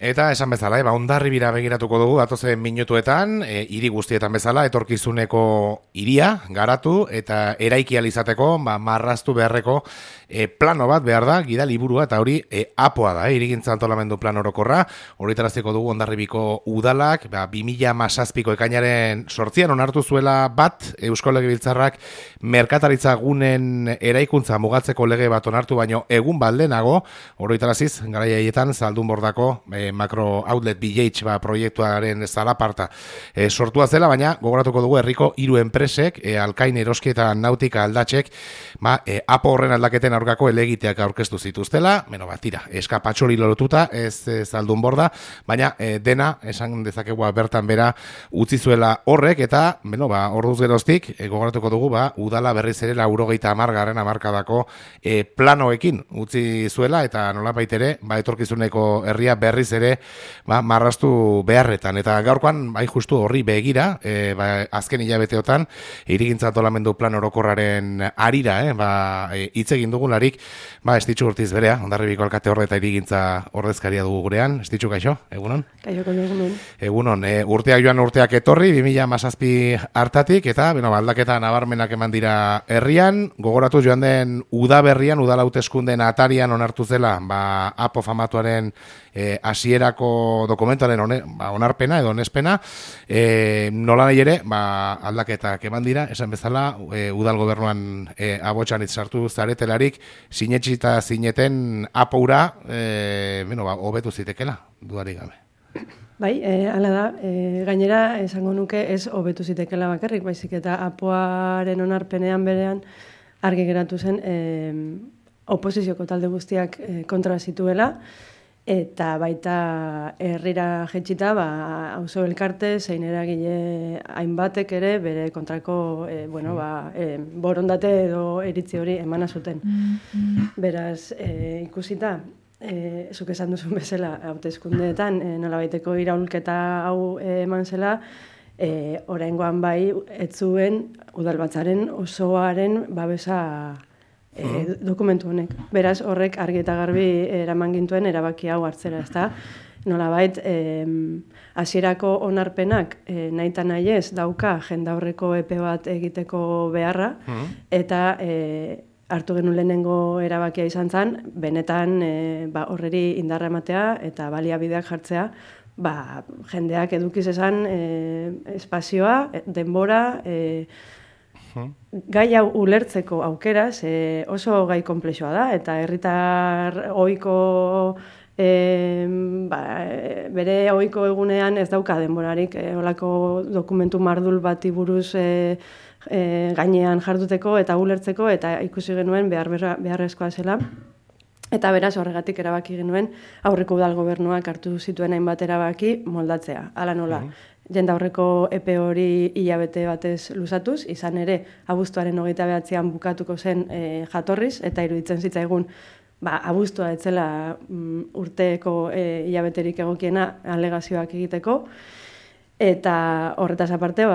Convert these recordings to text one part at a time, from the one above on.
Eta esan bezala, Hondarribira begiratuko dugu datozen minutuetan, hiri guztietan bezala, etorkizuneko hiria garatu eta eraiki ahal izateko, marraztu beharreko plano bat behar da, gida liburua, eta hori apoa da, hirigintza antolamendu plan orokorra, horretaraziko dugu Hondarribiko udalak, 2017ko ekainaren 8an onartu zuela bat, Eusko Legebiltzarrak merkataritza gunen eraikuntza mugatzeko lege bat onartu baino egun baldenago, horretaraziz, garai haietan, Zaldunbordako Macro Outlet BH proiektuaren zalaparta sortua zela, baina gogoratuko dugu herriko 3 enpresek, Alkain Eroski eta Nautika Aldatzek, apo horren aldaketen aurkako helegiteak aurkeztu zituztela, tira, eskapatxori lotuta, ez Zaldunborda, baina dena, esan dezakegu bertan bera utzi zuela horrek, eta, orduz geroztik, gogoratuko dugu, udala berriz ere 90. hamarkadako planoekin utzi zuela, eta nolabait ere, etorkizuneko herria berriz ere marraztu beharretan. Eta gaurkoan, justu horri begira, azken hilabeteotan, hirigintza antolamendu plan orokorraren arira, hitz egin dugularik, Estitxu Urtiz berea, Hondarribiko alkate horre eta hirigintza ordezkaria dugu gurean. Estitxu, kaixo, egunon? Kaixo, egunon. Egunon, urteak joan urteak etorri, 2017 hartatik, eta aldaketa nabarmenak eman dira herrian, gogoratu joan den udaberrian, udala hauteskundeen atarian onartu zela, apo famatuaren hasierako dokumentuaren onarpena edo onespena, nola nahi ere, aldaketak eman dira, esan bezala, udal gobernuan abotxan sartu zaretelarik, sinetxita zineten apoura, hobetu zitekela, dudarik gabe. Bai, hala da, gainera esango nuke ez hobetu zitekela bakarrik, baizik eta apoaren onarpenean berean argi geratu zen oposizioko talde guztiak kontra zituela, eta baita herrira jetxita, auzo elkarte, zein eragile hainbatek ere bere kontrako borondate edo iritzi hori emana zuten. Beraz, ikusita, zuk esan duzun bezala, hauteskundeetan nolabaiteko iraulketa hau eman zela, oraingoan bai, ez zuen udalbatzaren osoaren babesa dokumentu honek. Beraz, horrek argi eta garbi eraman gintuen erabaki hau hartzera, ezta? Nolabait, hasierako onarpenak nahita nahi ez dauka jendaurreko epe bat egiteko beharra, eta hartu genuen lehenengo erabakia izan zen, benetan horreri indarra ematea eta baliabideak jartzea, jendeak edukiz esan espazioa, denbora, gai hau ulertzeko aukeraz oso gai konplexua da, eta herritar ohiko bere ohiko egunean ez dauka denborarik olako dokumentu mardul bati buruz gainean jarduteko eta ulertzeko, eta ikusi genuen beharrezkoa zela. Eta beraz horregatik erabaki genuen aurreko udal gobernuak hartu zituen hainbat erabaki moldatzea. Hala nola, jendaurreko epe hori hilabete batez luzatuz, izan ere abuztuaren 29an bukatuko zen jatorriz, eta iruditzen zitzaigun abuztua etzela urteko hilabeterik egokiena alegazioak egiteko, eta horretaz aparte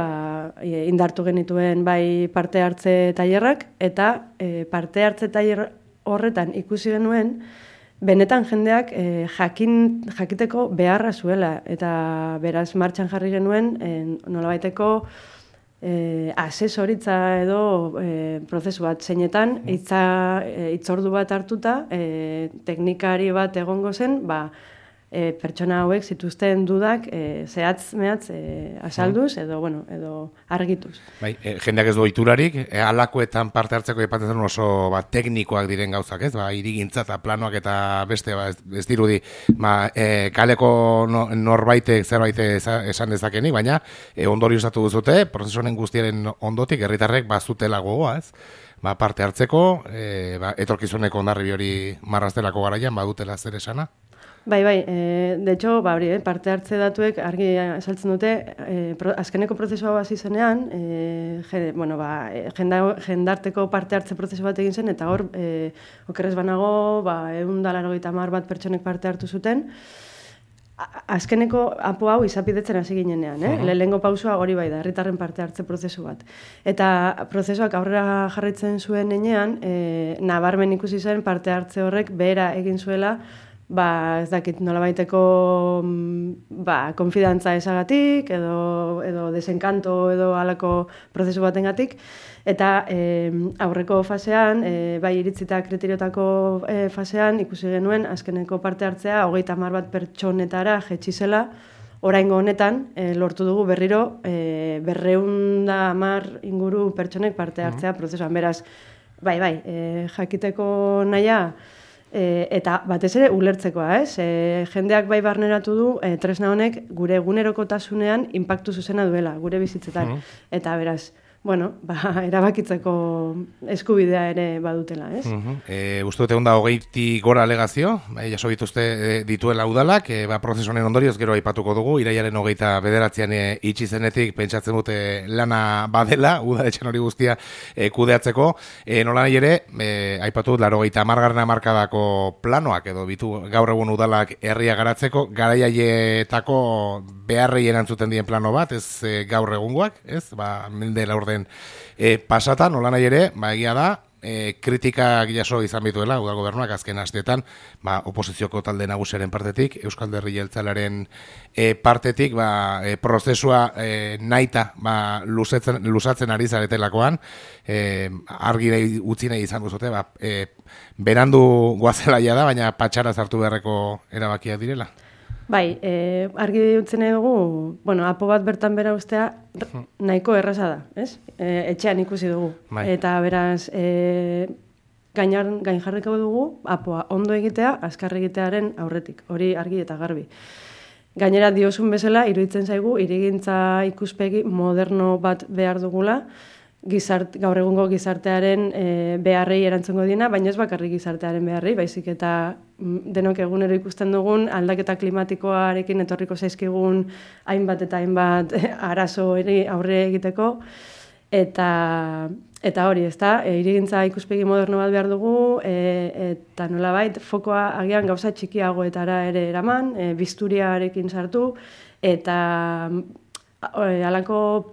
indartu genituen bai parte hartze tailerrak, eta parte hartze tailer horretan ikusi genuen, benetan jendeak jakiteko beharra zuela, eta beraz martxan jarri genuen nolabaiteko asesoritza edo prozesu bat zeinetan, hitzordu bat hartuta, teknikari bat egongo zen, pertsona hauek zituzten dudak zehatz-mehatz azalduz edo argituz. Jendeak ez du ohiturarik, halakoetan parte hartzeko aipatzen zen oso teknikoak diren gauzak, ez? Hirigintza eta planoak eta beste ez dirudi kaleko norbaitek zerbait esan dezakenik, baina ondorioztatu duzute, prozesu honen guztiaren ondotik herritarrek bazutela gogoa, ez? Parte hartzeko, etorkizuneko Hondarribi hori marraztelako garaian badutela zer esana? Bai, de hecho, parte hartze datuek argi esaltzen dute, azkeneko prozesua hasi zenean, jendarteko parte hartze prozesu bat egin zen, eta hor, okerrez banago, 180 bat pertsonek parte hartu zuten, azkeneko apo hau izapidetzen hasi ginenean, lehenengo pausua hori bai da, herritarren parte hartze prozesu bat. Eta prozesuak aurrera jarraitzen zuen enean, nabarmen ikusi zen parte hartze horrek behera egin zuela ez dakit nolabaiteko konfidantza esagatik, edo desenkanto edo halako prozesu batengatik, eta aurreko fasean, bai iritzita kriteriotako fasean, ikusi genuen azkeneko parte hartzea 30 bat pertsonetara jetxi zela. Oraingo honetan, lortu dugu berriro 210 inguru pertsonek parte hartzea prozesuan. Beraz, bai, jakiteko nahia, eta batez ere ulertzekoa, ez? Jendeak bai barneratu du tresna honek gure egunerokotasunean inpaktu zuzena duela, gure bizitzetan. Eta beraz, erabakitzeko eskubidea ere badutela, ez? Uste dute onda 20 gora alegazio, jaso dituzte dituela udalak, prozesu honen ondorioz gero aipatuko dugu, irailaren 29an itxi zenetik pentsatzen dute lana badela, udaletxen hori guztia kudeatzeko, nola nahi ere, aipatu dut 80. hamarkadako planoak edo bitu gaur egun udalak herria garatzeko, garaiaietako beharrei erantzuten dien plano bat, ez gaur egungoak, ez? Mende laurden pasatan, nola nahi ere, egia da, kritikak jaso izan bituela, udal gobernuak azken asteetan, oposizioko talde nagusiaren partetik, Euskal Alderdi Jeltzalearen partetik, prozesua nahita luzatzen ari zaretelakoan, argi utzi nahi izan duzute, berandu guazela da, baina patxara zartu beharreko erabakiak direla. Bai, argi utzi nahi dugu, apo bat bertan bera ustea nahiko erraza da, ez? Etxean ikusi dugu. Eta beraz, gain jarriko dugu, apoa ondo egitea, azkar egitearen aurretik. Hori argi eta garbi. Gainera diozun bezala, iruditzen zaigu, hirigintza ikuspegi moderno bat behar dugula, gaur egungo gizartearen beharrei erantzungo diena, baina ez bakarrik gizartearen beharrei, baizik eta denok egunero ikusten dugun aldaketa klimatikoarekin etorriko zaizkigun hainbat eta hainbat arazo aurre egiteko, eta hori, ezta, hirigintza ikuspegi moderno bat behar dugu, eta nolabait fokoa agian gauza txikiagoetara ere eraman, bisturiarekin sartu, eta halako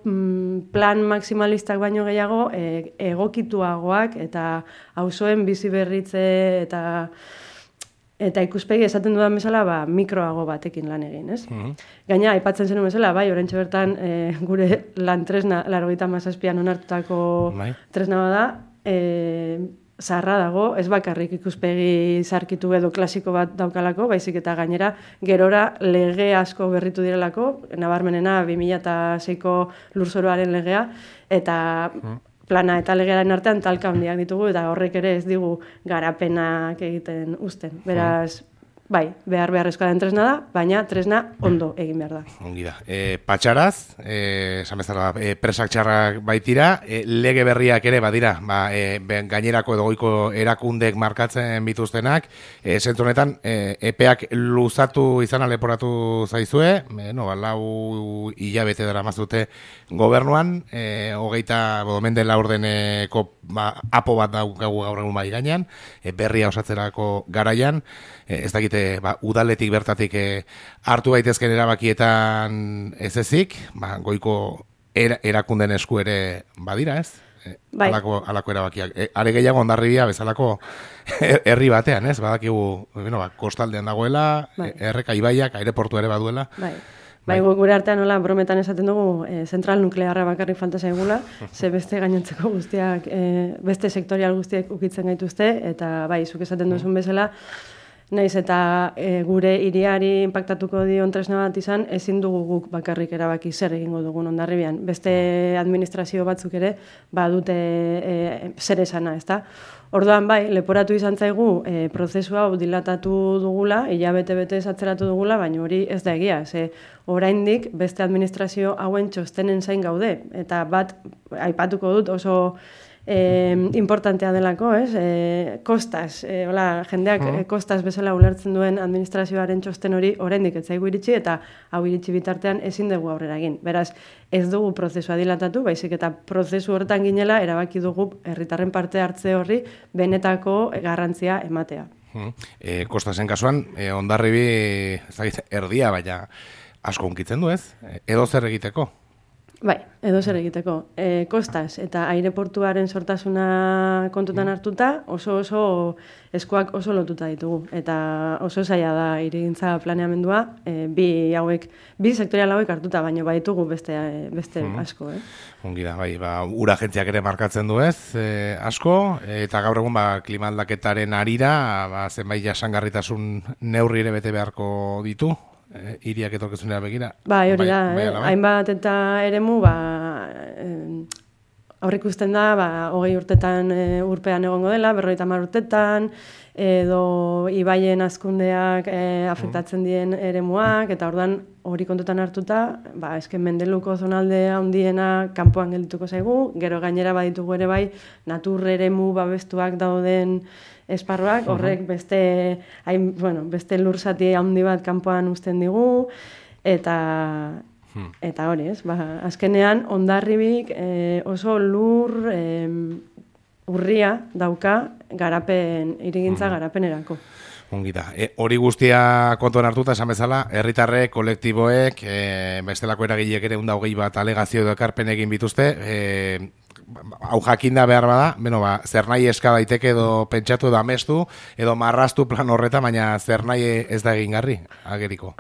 plan maximalistak baino gehiago egokituagoak eta auzoen bizi berritze eta ikuspegi esaten dudan bezala mikroago batekin lan egin, ez? Gaina, aipatzen zenuen bezala, oraintxe bertan gure lan tresna 97an onartutako tresna bada, zaharra dago, ez bakarrik ikuspegi zarkitu edo klasiko bat daukalako, baizik eta gainera gerora lege asko berritu direlako, nabarmenena 2006ko lurzoroaren legea, eta plana eta legearen artean talka handiak ditugu, eta horrek ere ez digu garapenak egiten uzten. Beraz, bai, beharrezkoa den tresna da, baina tresna ondo egin behar da. Ongi da. Patxaraz, esan bezala, presak txarrak baitira, lege berriak ere badira, gainerako edo goiko erakundek markatzen bituztenak, zentzu honetan, epeak luzatu izan leporatu zaizue, 4 hilabete dara mazute gobernuan, 24 laurdeneko apo bat daukagu gaur egun bai gainean, berria osatzerako garaian, ez dakite udaletik bertatik hartu daitezken erabakietan ez ezik, goiko erakunden esku ere badira, ez? Alako erabakiak. Are gehiago Hondarribia bezalako herri batean, ez? Badakigu, kostaldean dagoela, erreka ibaiak, aireportu ere baduela. Bai, gure artean nola brometan esaten dugu zentral nuklearra bakarrik falta zaigula, ze beste gainontzeko guztiak, beste sektorial guztiak ukitzen gaituzte, eta bai, zuk esaten duzun bezala, naiz eta gure hiriari inpaktatuko dion tresna bat izan, ezin dugu guk bakarrik erabaki zer egingo dugun Hondarribian. Beste administrazio batzuk ere badute zer esana, ezta? Orduan bai, leporatu izan zaigu prozesu hau dilatatu dugula, hilabete atzeratu dugula, baina hori ez da egia. Oraindik beste administrazio hauen txostenen zain gaude, eta bat aipatuko dut oso importantea delako, ez? Kostaz, jendeak kostaz bezala ulertzen duen administrazioaren txosten hori oraindik ez zaigu iritsi, eta hau iritsi bitartean ezin dugu aurrera egin. Beraz, ez dugu prozesua dilatatu, baizik eta prozesu horretan ginela erabaki dugu herritarren parte hartze horri benetako garrantzia ematea. Kostasen kasuan, Hondarribi erdia, baina asko hunkitzen du, ez? Edo zer egiteko? Bai, edo zer egiteko. Kostaz eta aireportuaren sortasuna kontutan hartuta, oso eskuak oso lotuta ditugu. Eta oso zaila da hirigintza planeamendua, bi sektorial hauek hartuta, baina baitugu beste asko. Ongi da, bai, ur agentziak ere markatzen du ez, asko, eta gaur egun klima aldaketaren arira, zenbait jasangarritasun neurri ere bete beharko ditu, hiriak etorkizunera begira. Bai, hori da, hainbat eta eremu, aurrikusten da, 20 urtetan urpean egongo dela, 50 urtetan, edo ibaien hazkundeak afektatzen dien eremuak, eta orduan hori kontutan hartuta, esken mendeluko zonalde handiena kanpoan geldituko zaigu, gero gainera baditugu ere bai, natur eremu babestuak dauden esparruak, horrek beste lurzati handi bat kanpoan uzten digu, eta hori, ez? Azkenean, Hondarribik oso lur urria dauka hirigintza garapenerako. Ongi da. Hori guztia kontuan hartuta, esan bezala, herritarrek, kolektiboek, bestelako eragileek ere 120 bat alegazio edo ekarpen egin bituzte, hau jakinda behar bada, zer nahi eska daiteke edo pentsatu edo amestu, edo marraztu plan horreta, baina zer nahi ez da egingarri, ageriko.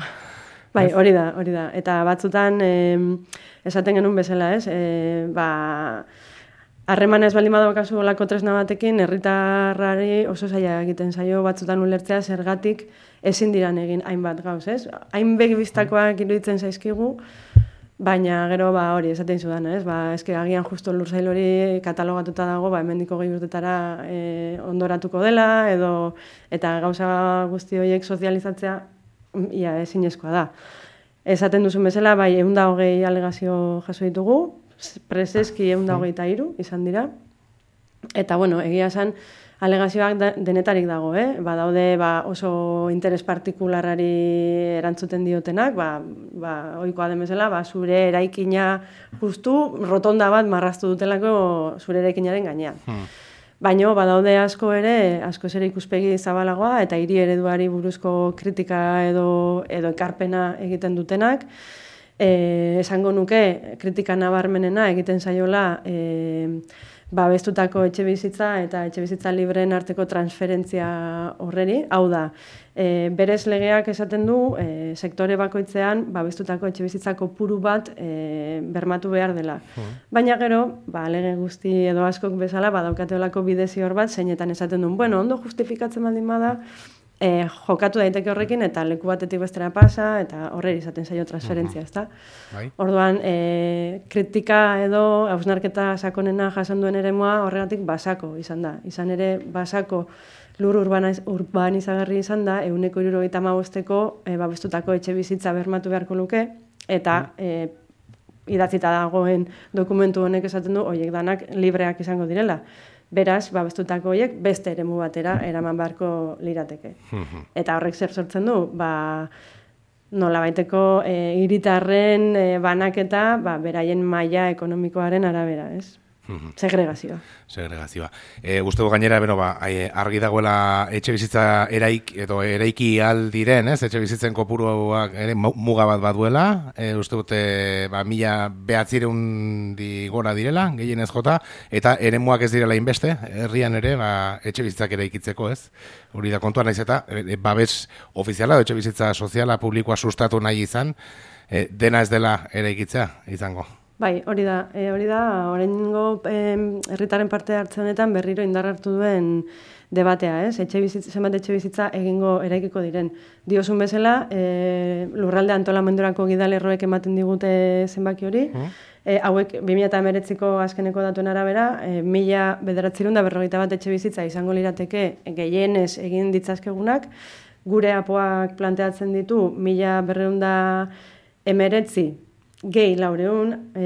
Bai, hori da. Eta batzutan, esaten genuen bezala, ez? Harremana ez baldin badaukazu olako tresna batekin, herritarrari oso zaila egiten zaio batzutan ulertzea zergatik ezin diran egin hainbat gauz, ez? Hain begibistakoak iruditzen zaizkigu, baina gero hori esaten zudan, ez? Eske agian justo lursail hori katalogatuta dago, hemendiko 20 urtetara ondoratuko dela, eta gauza guzti horiek sozializatzea ia ezinezkoa da. Esaten duzun bezala, 120 alegazio jaso ditugu, preseski 123 izan dira. Eta, egia esan, alegazioak denetarik dago, Badaude oso interes partikularrari erantzuten diotenak, ohikoa den bezala, zure eraikina justu rotonda bat marraztu dutelako zure eraikinaren gainean. Baina badaude asko ere ikuspegi zabalagoa eta hiri ereduari buruzko kritika edo ekarpena egiten dutenak. Esango nuke kritika nabarmenena egiten zaiola babestutako etxebizitza eta etxebizitza libreen arteko transferentzia horreri. Hau da, berez legeak esaten du sektore bakoitzean babestutako etxebizitza kopuru bat bermatu behar dela. Baina gero, lege guzti edo askok bezala badaukateolako bide zior bat zeinetan esaten duen. Ondo justifikatzen baldin bada, jokatu daiteke horrekin eta leku batetik bestera pasa eta horreri izaten zaio transferentzia, ezta? Orduan, kritika edo hausnarketa sakonena jasan duen eremua horregatik basako izan da. Izan ere, basako lur urbanizagarri izan da, 175ko babestutako etxe bizitza bermatu beharko luke, eta idatzita dagoen dokumentu honek esaten du, horiek danak libreak izango direla. Beraz, babestutako horiek beste eremu batera eraman beharko lirateke. Eta horrek zer sortzen du, nolabaiteko hiritarren banaketa beraien maila ekonomikoaren arabera, ez? Segregazioa. Uste du gainera, argi dagoela etxe bizitza eraiki aldiren, ez? Etxe bizitzen kopuruak ere muga bat baduela, uste dute 1900 gora direla, gehienez jota, eta eremuak ez direla inbeste, herrian ere, etxe bizitzak eraikitzeko, ez? Hori da kontua naiz eta, babes ofiziala, etxe bizitza soziala, publikoa sustatu nahi izan, dena ez dela eraikitzea izango. Bai, hori da, oraingo herritaren parte hartzen honetan berriro indar hartu duen debatea, ez? Zenbat etxe bizitza eraikiko diren. Diosun bezala, lurralde antolamendurako gidalerroek ematen digute zenbaki hori, hauek 2019ko azkeneko datuen arabera, 1941 etxe bizitza izango lirateke gehienez egin ditzazkegunak, gure apoak planteatzen ditu 1919 gehi 400,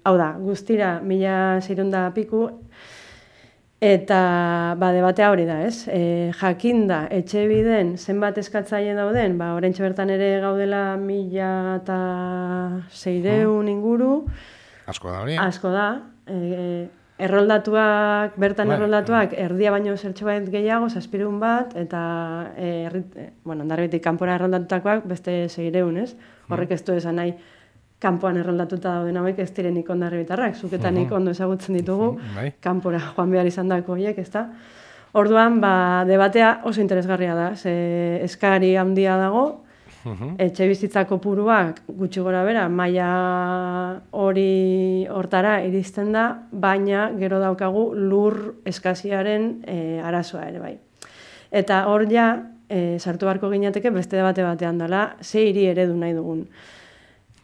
hau da, guztira 1600 piku, eta debatea hori da, ez? Jakinda, etxe biden zenbat eskatzaile dauden, oraintxe bertan ere gaudela 1600 inguru. Asko da hori? Asko da. Erroldatuak erdia baino zertxo bat gehiago, 700 bat, eta Hondarribitik kanpora erroldatutakoak beste 600, ez? Horrek ez du esan nahi kanpoan erroldatuta dauden hauek ez direnik Hondarribitarrak, zuk eta nik ondo ezagutzen ditugu, kanpora joan behar izan dako horiek, ezta? Orduan, debatea oso interesgarria da, eskari handia dago, etxe bizitza kopuruak gutxi gora bera, maila hori hortara iristen da, baina gero daukagu lur eskaziaren arazoa ere bai. Eta hor ja, sartu beharko ginateke beste debate batean dela, ze hiri eredu nahi dugun.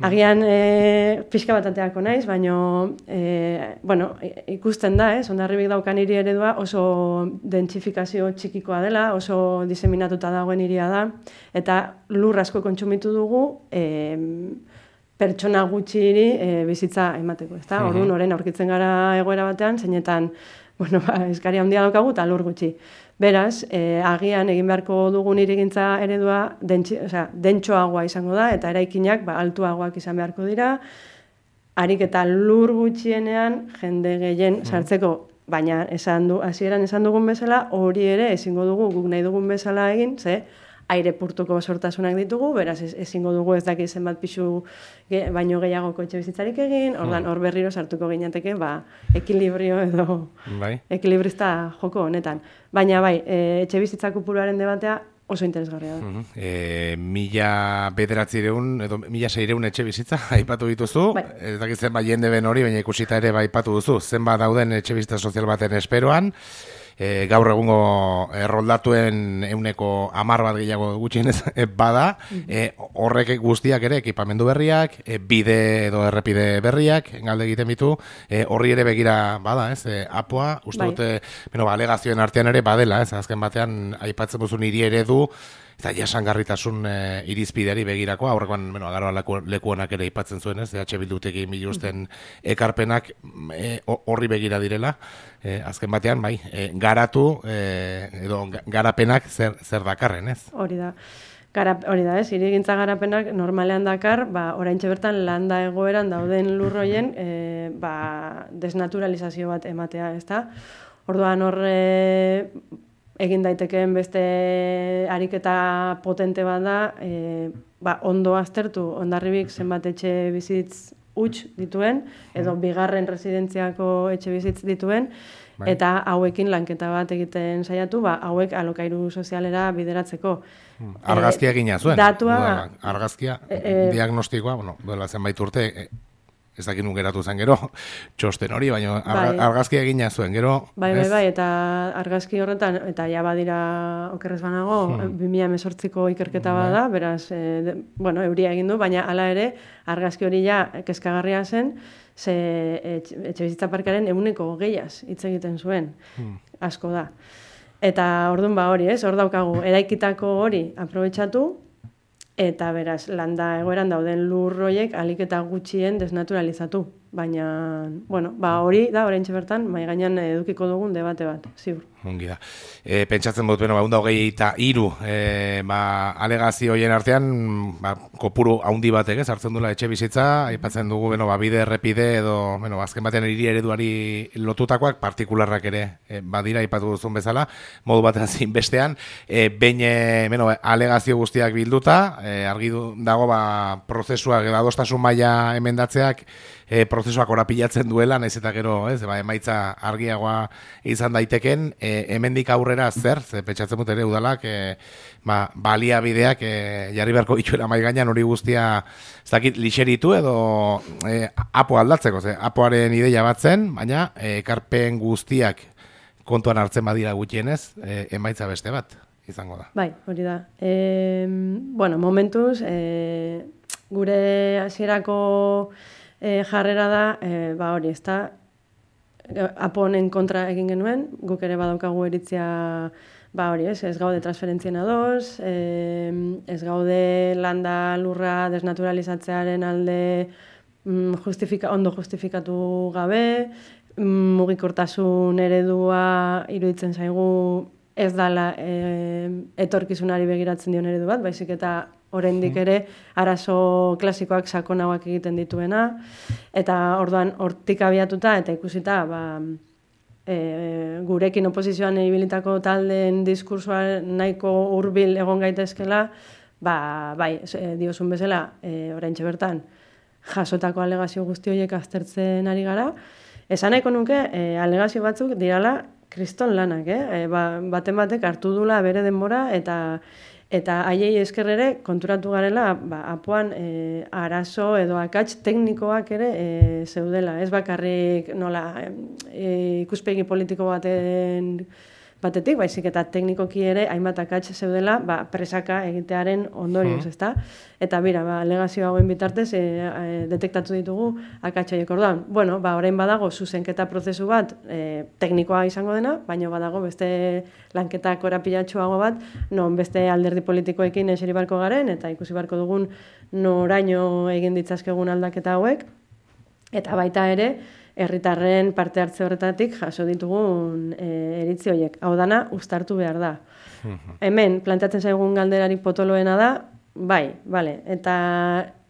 Agian pixka bat ateako naiz, baina ikusten da, Hondarribik daukan hiri eredua oso dentsifikazio txikikoa dela, oso diseminatuta dagoen hiria da, eta lur asko kontsumitu dugu pertsona gutxiri bizitza emateko, ezta? Orduan, orain aurkitzen gara egoera batean, zeinetan eskari handia daukagu eta lur gutxi. Beraz, agian egin beharko dugun hirigintza eredua dentsoagoa izango da, eta eraikinak altuagoak izan beharko dira, harik eta lur gutxienean jende gehien sartzeko, baina hasieran esan dugun bezala, hori ere ezingo dugu guk nahi dugun bezala egin, ze airepurtuko sortasunak ditugu, beraz ezingo dugu ez dakit zenbat pixu baino gehiagoko etxe bizitzarik egin, ordan hor berriro sartuko ginateke, ekilibrio edo ekilibrista joko honetan. Baina etxe bizitza kopuruaren debatea oso interesgarria da. 1900 edo 1600 etxe bizitza aipatu dituzu, ez dakit zenbat jende ben hori, baina ikusita ere aipatu duzu, zenbat dauden etxe bizitza sozial baten esperoan, gaur egungo erroldatuen 10% bat gehiago gutxienez bada, horrek guztiak ere ekipamendu berriak, bide edo errepide berriak, galde egiten bitu, horri ere begira bada, apoa, uste dute, alegazioen artean ere badela, azken batean aipatzen duzun hiri eredu, eta jasangarritasun irizpideari begirako, aurrekoan agarroa lekuonak ere aipatzen zuen, EH Bildutekin biluzten ekarpenak horri begira direla, azken batean, garatu edo garapenak zer dakarren, ez? Hori da. Hori da, hirigintza garapenak normalean dakar, oraintxe bertan landa egoeran dauden lurroien desnaturalizazio bat ematea, ezta? Orduan egin daitekeen beste ariketa potente bat da, ondo aztertu Hondarribik zenbat etxe bizitz huts dituen, edo bigarren residentziako etxe bizitz dituen, eta hauekin lanketa bat egiten saiatu, hauek alokairu sozialera bideratzeko. Argazkia egina zuen. Datua... Argazkia, diagnostikoa, duela zenbait urte, ez dakit nun geratu zen gero, txosten hori, baina argazki egina zuen, gero... Bai, eta argazki horretan, eta ja badira okerrez banago, 2018ko ikerketa bada, beraz, euria egin du, baina hala ere, argazki hori ja kezkagarria zen, ze etxe bizitza parkaren 20%, hitz egiten zuen, asko da. Eta orduan hori, hor daukagu, eraikitako hori aprobetxatu, eta beraz, landa egoeran dauden lurroiek alik eta gutxien desnaturalizatu. Baina, hori da, oraintxe bertan, mai gainean edukiko dugun debate bat, ziur. Ongi da. Pentsatzen dut, 123 alegazio horien artean, kopuru handi batek hartzen duela etxe bizitza, aipatzen dugu, bide errepide edo, azken batean hiri ereduari lotutakoak, partikularrak ere badira, aipatu duzun bezala, modu batean zein bestean, alegazio guztiak bilduta, argi dago prozesuak, adostasun maila emendatzeak, prozesuak orapilatzen duela, naiz eta gero, emaitza argiagoa izan daiteken, hemendik aurrera zer pentsatzen dut ere udalak, baliabideak jarri beharko dituela mahai gainean hori guztia, ez dakit, lixeritu edo apo aldatzeko, apoaren ideia bat zen, baina ekarpen guztiak kontuan hartzen badira gutxienez, emaitza beste bat izango da. Bai, hori da. Momentuz, gure hasierako jarrera da, hori, ez da, aponen kontra egin genuen, guk ere badaukagu eritzia, hori, ez gaude transferentzien ados, ez gaude landa lurra desnaturalizatzearen alde ondo justifikatu gabe, mugikortasun eredua iruditzen zaigu ez dala etorkizunari begiratzen dion eredu bat, baizik eta oraindik ere arazo klasikoak sakonagoak egiten dituena, eta orduan hortik abiatuta eta ikusita gurekin oposizioan ibilitako taldeen diskursoa nahiko hurbil egon gaitezkela, diozun bezala oraintxe bertan jasotako alegazio guzti horiek aztertzen ari gara. Esan nahiko nuke, alegazio batzuk dirala kriston lanak, baten batek hartu dula bere denbora eta haiei esker ere konturatu garela apoan arazo edo akats teknikoak ere zeudela. Ez bakarrik nola ikuspegi politiko batetik, baizik eta teknikoki ere hainbat akats zeudela presaka egitearen ondorioz, ezta? Eta bira, alegazio hauen bitartez detektatu ditugu akats horiek. Orduan, bueno, orain badago zuzenketa prozesu bat teknikoa izango dena, baina badago beste lanketa korapilatsuago bat, non beste alderdi politikoekin eseri barko garen, eta ikusi barko dugun noraino egin ditzazkegun aldaketa hauek, eta baita ere, herritarren parte hartze horretatik jaso ditugun iritzi horiek. Hau dana, uztartu behar da. Hemen, planteatzen zaigun galderarik potoloena da, bai, bale, eta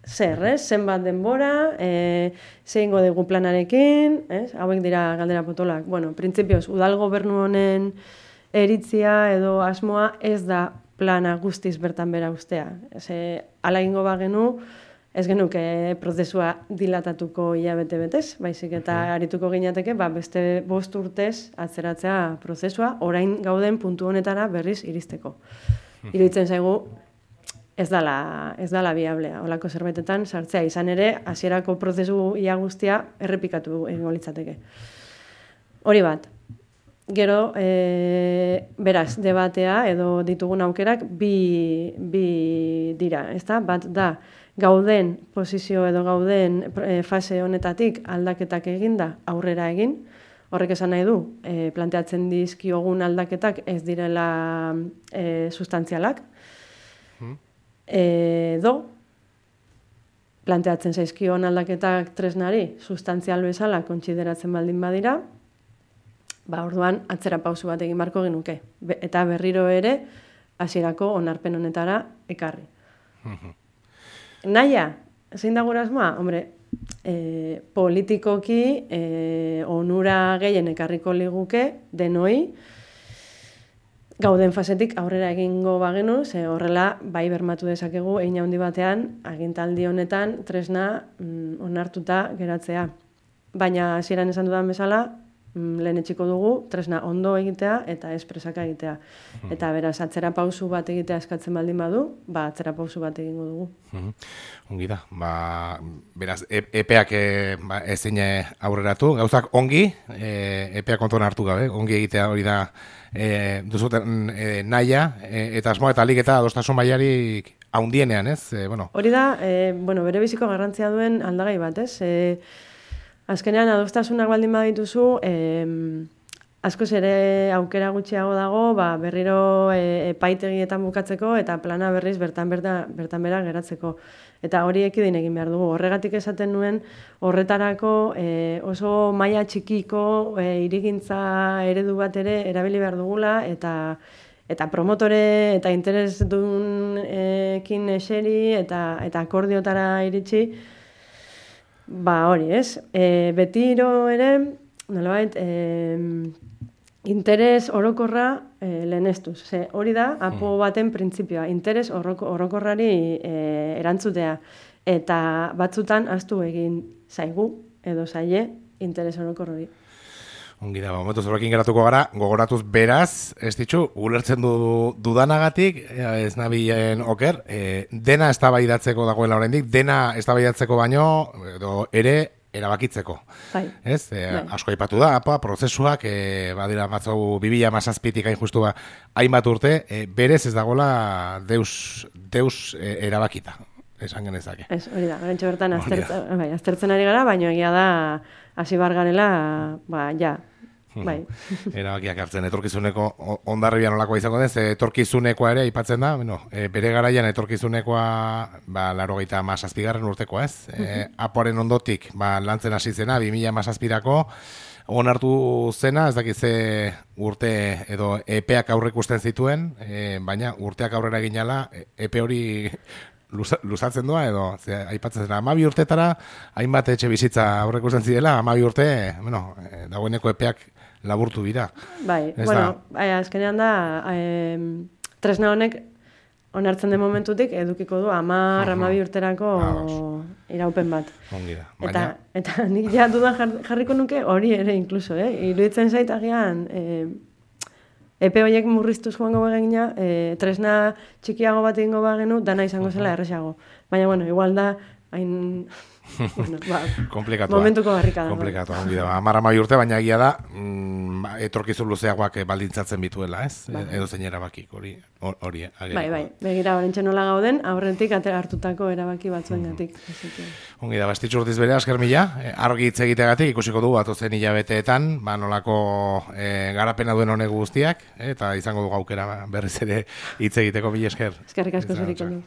zer, zenbat denbora, zeingo dugu planarekin, hauek dira galdera potolak. Bueno, printzipioz, udal gobernu honen iritzia edo asmoa ez da plana guztiz bertan bera ustea. Hala egingo bagenu, ez genuke prozesua dilatatuko hilabete betez, baizik eta arituko ginateke, beste 5 urtez atzeratzea prozesua, orain gauden puntu honetara berriz iristeko. Iruditzen zaigu, ez dala biablea, holako zerbaitetan sartzea, izan ere, hasierako prozesu ia guztia errepikatu egingo litzateke. Hori bat. Gero, beraz, debatea edo ditugun aukerak bi dira, ezta? Bat da, gauden posizio edo gauden fase honetatik aldaketak eginda aurrera egin. Horrek esan nahi du, planteatzen dizkiogun aldaketak ez direla sustantzialak. Edo, planteatzen zaizkion aldaketak tresnari sustantzial bezala kontsideratzen baldin badira, orduan atzera pausu bat egin barko genuke. Eta berriro ere, hasierako onarpen honetara ekarri. Naia, zein da gure asmoa? Hombre, politikoki onura gehien ekarriko liguke denoi gauden fasetik aurrera egingo bagenu, ze horrela bai bermatu dezakegu hein handi batean agintaldi honetan tresna onartuta geratzea. Baina hasieran esan dudan bezala, lehen etxiko dugu, tresna ondo egitea eta ez presaka egitea. Eta beraz, atzera pausu bat egitea eskatzen baldin badu, atzera pausu bat egingo dugu. Ongi da, beraz, epeak ezin aurreratu, gauzak ongi, epeak kontuan hartu gabe, ongi egitea hori da duzuten nahia, eta asmoa eta alik eta adostasun mailarik haundienean, ez? Hori da, bere biziko garrantzia duen aldagai bat, ez? Azkenean, adostasunak baldin badituzu, askoz ere aukera gutxiago dago, berriro epaitegietan bukatzeko eta plana berriz bertan bera geratzeko. Eta hori ekidin egin behar dugu. Horregatik esaten nuen, horretarako oso maila txikiko hirigintza eredu bat ere erabili behar dugula, eta promotore eta interesdunekin eseri eta akordiotara iritsi, hori, ez? Betiro ere, nolabait, interes orokorra lehenestuz. Hori da, apo baten printzipioa, interes orokorrari erantzutea. Eta batzutan ahaztu egin zaigu edo zaie interes orokor hori. Ongi da, momentu zorrekin geratuko gara, gogoratuz beraz, ez ditxu, ulertzen dudanagatik, ez nabilen oker, dena eztabaidatzeko dagoela oraindik, dena eztabaidatzeko baino, edo ere, erabakitzeko. Bai. Ez? Asko aipatu da, prozesuak, badira batzau 2017tik hain justu hainbat urte, berez ez dagoela deus erabakita, esan genezake. Ez, hori da, gantxo bertan aztertzen ari gara, baina egia da, hasi bar garela, ja, bai. Erabakiak hartzen, etorkizuneko ondarribian olakoa izango den, etorkizunekoa ere aipatzen da, bere garaian etorkizunekoa 97. urtekoa, ez? Apoaren ondotik lantzen hasi zena 2017ko onartu zena, ez dakit ze urte edo epeak aurrikusten zituen, baina urteak aurrera ginala epe hori luzatzen doa edo aipatzen zena 12 urtetara hainbat etxe bizitza aurrekusten zirela, 12 urte, dagoeneko epeak laburtu dira. Bai, azkenean da, tresna honek onartzen den momentutik edukiko du 10-12 urterako iraupen bat. Ongi da. Baina... Eta nik ja dudan jarriko nuke hori ere inkluso, iruditzen zait agian epe horiek murriztuz joango bagina, tresna txikiago bat egingo bagenu, dana izango zela erresago. Baina, bueno, igual da, hain... bueno, momentuko barrika da. Komplikatu, ongi da. 10 urte, baina egia da, etorkizun luzeagoak baldintzatzen bituela, ez? Edo zein erabakik, hori. Bai, begira, horrentxe nola gauden, aurretik hartutako erabaki batzuengatik. Ongi da, Estitxu Urtiz bere, asker mila, argi hitz egiteagatik ikusiko du atozen hilabeteetan, nolako garapena duen honek guztiak, eta izango du aukera berriz ere hitz egiteko, mila esker. Eskerrik asko zuriko du.